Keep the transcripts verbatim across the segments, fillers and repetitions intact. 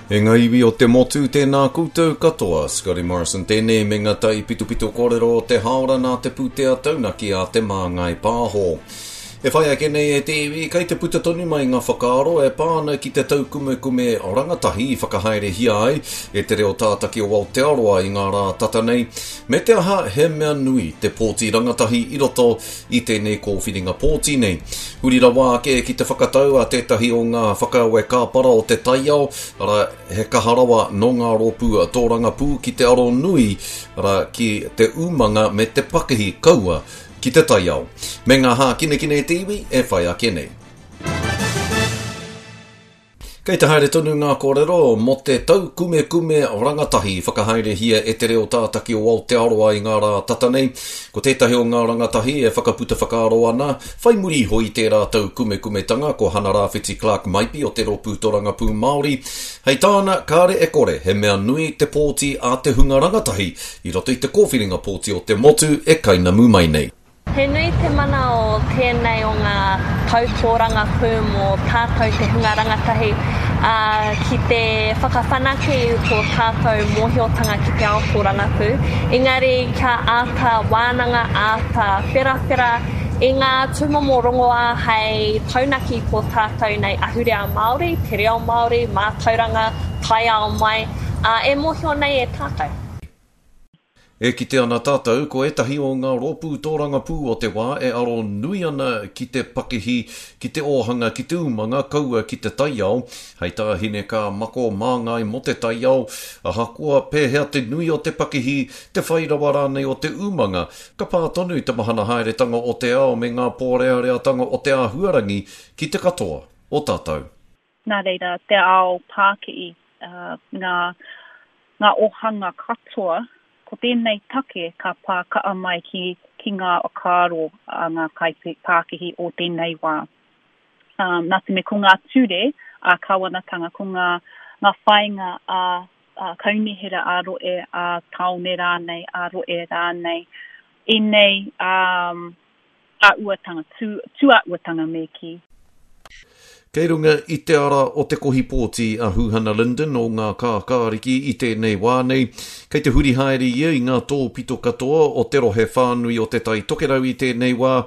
E ngā iwi o te motu, tēnā koutou katoa. Scotty Morrison tēnei me ngā tai pitopito kōrero o te haora nā te pūtea taunaki a Te Māngai Pāho. E whai ake nei e te iwi, kei te puta tonu mai ngā whakaaro e pā ana ki te taukumekume rangatahi i whakahaerehia ai e te reo tātaki o Aotearoa i ngā rā tata nei, me te aha he mea nui te pōti rangatahi i roto i tēnei kōwhiringa pōti nei. Huri rawa ake ki te whakatau a tētahi o ngā whakaawe kāpara o te taiao, arā, he kaha rawa nō ngā rōpū tōrangapū ki te aro nui, arā, ki te umanga me te pakihi kaua ki te taiao. Me ngā hākinakina e te iwi e whai ake nei. Kei te haere tonu ngā kōrero mō te taukumekume rangatahi i whakahaerehia e te reo tātaki o Aotearoa i ngā rā tata nei. Ko tētahi o ngā rangatahi e whakaputa whakaaro ana, whai muri iho i tērā taukumekumetanga ko Hana Rāwhiti Clark Maipi o te Rōpū Torangapū Māori. Hei tāna, kāre e kore, he mea nui te pōti a te hunga rangatahi i roto i te kōwhiringa pōti o te motu e kainamu mai nei. He nui te mana o tēnei o ngā tau tōrangapū mō tātou te hunga rangatahi, ā, ki te whakawhanake i tō tātou mōhiotanga ki te ao tōrangapū, engari kia āta wānanga, āta wherawhera i ngā tūmomo rongoā hei taunaki i tō tātou nei ahurea Māori, te reo Māori, mātauranga, taiao mai, ā, e mōhio nei e tātou. E kite ana tātou ko ētahi o ngā rōpū tōrangapū o te wā e aro nui ana ki te pakihi, ki te ōhanga, ki te umanga, kaua ki te taiao. Hei tā Hinekaa Mako māngai mō te taiao, ahakoa pēhea te nui o te pakihi, te whai rawa rānei o te umanga, ka pā tonu te mahana haeretanga o te ao me ngā pōreareatanga o te āhuarangi ki te katoa o tātou. Nā reira, te ao pākihi, ngā, ngā ōhanga katoa, ko tēnei take ka pā kaha mai ki, ki ngā whakaaro a ngā kaipākihi o tēnei wā. Um, nā te mea ko ngā ture a kāwanatanga, ko ngā, ngā whāinga a, a kaunihera a rohe, a tāone rānei, a rohe rānei, ēnei um, āhuatanga, tū, tūāhuatanga me kī. Kei runga i te ara o te kohi pōti a Huhana Lyndon o ngā Kākāriki i tēnei wā nei. Kei te huri haere ia i ngā tōpito katoa o te rohe whānui o Te Tai Tokerau i tēnei wā.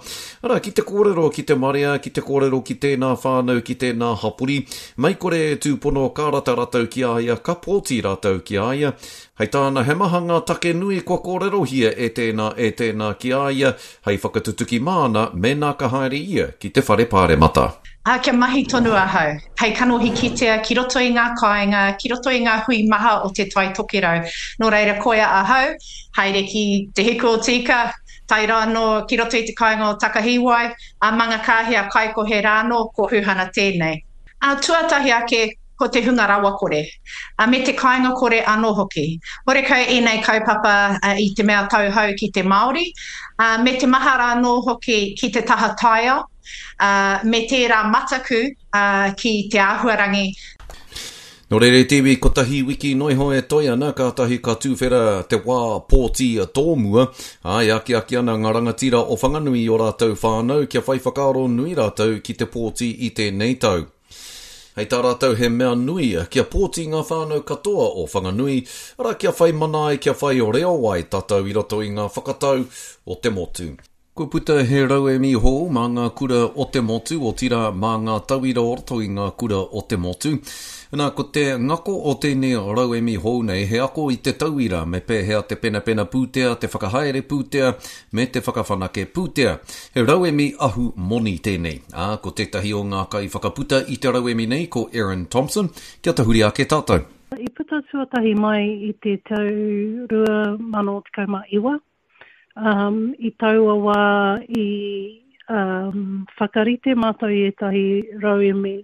Arā, ki te kōrero ki te marea, ki te kōrero ki tēnā whānau, ki tēnā hapori. Mei kore e tūpono ka rata rātou ki a ia, ka pōti rātou ki a ia. Hei tāna, he maha ngā take nui kua kōrerohia e tēnā, e tēnā ki a ia, hei whakatutuki māna mēnā ka haere ia ki te whare pāremata. Ā, kia mahi tonu ahau, hei kanohi kitea ki roto i ngā kāinga, ki roto i ngā hui maha o Te Tai Tokerau. Nō reira, koia ahau, haere ki Te Hiku o Tīka, tae rā anō ki roto i te kāinga o Takahiwai, a Mangakāhia Kaikohe rā anō, ko Huhana tēnei. Ā, tuatahi ake, ko te hunga rawakore, ā, me te kāinga kore anō hoki. Horekau ēnei kaupapa i te mea tauhou ki te Māori, ā, me te maha rā anō hoki ki te taha taiao, ā, me tērā mataku, ā, ki te āhuarangi. Nō reira e te iwi, kotahi wiki noa iho e toe ana, kātahi ka tūwhera te wā pōti tōmua, ā, e akiaki ana ngā rangatira o Whanganui i ō rātou whānau kia whai whakaaro nui rātou ki te pōti i tēnei tau. Hei tā rātou he mea nui kia pōti ngā whānau katoa o Whanganui, arā kia whai mana ai, kia whai reo ai tātou i roto i ngā whakatau o te motu. Kua puta he rauemi hou mā ngā kura o te motu, otirā mā ngā tauira o roto i ngā kura o te motu. Nā, ko te ngako o tēnei rauemi hou nei he ako i te tauira me pēhea te penapena pūtea, te whakahaere pūtea, me te whakawhanake pūtea. He rauemi ahu moni tēnei. Ā, ko tētahi o ngā kaiwhakaputa i te rauemi nei ko Erin Thompson. Kia tahuri ake tātou. I puta tuatahi mai i te tau rua mano tekau mā iwa. Um, i taua wā i um, whakarite mātou i ētahi rauemi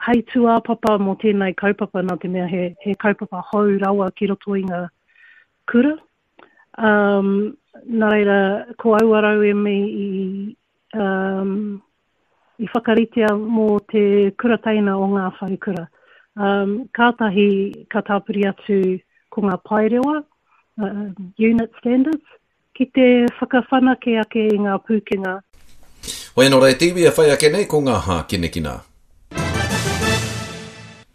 hei tūāpapa mō tēnei kaupapa, nā te mea he, he kaupapa hou rawa ki roto i ngā kura. Um, nā reira, ko aua rauemi i, um, i whakaritea mō te kura teina o ngā wharekura. Um, kātahi ka tāpiri atu ko ngā paerewa, uh, unit standards, ki te whakawhanake ake i ngā pūkenga. Hoi anō rā e te iwi e whai ake nei ko ngā hākinakina.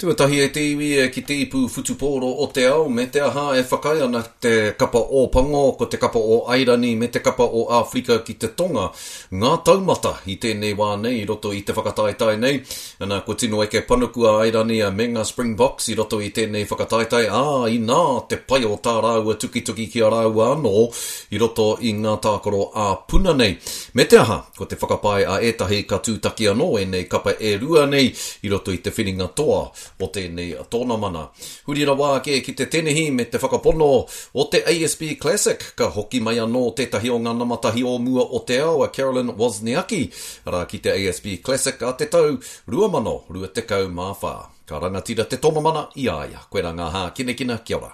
Tuatahi e te iwi e ki te ipu whutupōro o te ao, me te aha e whakaae ana te kapa o Pango, ko te kapa o Airani me te kapa o Āwherika ki te Tonga ngā taumata i tēnei wā nei i roto i te whakataetae nei. Ana, kua tino eke panuku a Airani me ngā Springboks i roto i tēnei whakataetae, ā, inā te pai o tā rāua tukituki ki a rāua anō i roto i ngā tākaro ā-puna nei. Me te aha, ko te whakapae a ētahi ka tūtaki anō ēnei kapa e rua nei i roto i te whiringa toa o tēnei tōnamana. Huri rawa ake ki te tenihi me te whakapono o te A S B Classic, ka hoki mai anō tētahi o ngā namatahi o mua o te ao a Carolyn Wozniacki, arā ki te A S B Classic a te tau rua mano rua tekau mā whā. Ka rangatira te tōnamana i a ia. Koe rā ngā hākinakina, kia ora.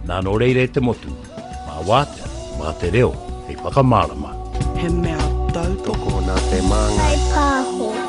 Nā nō reira e te motu, mā wātea, mā te reo, hei whakamārama. He mea tautoko. Tokona te māngai. Kai pāho.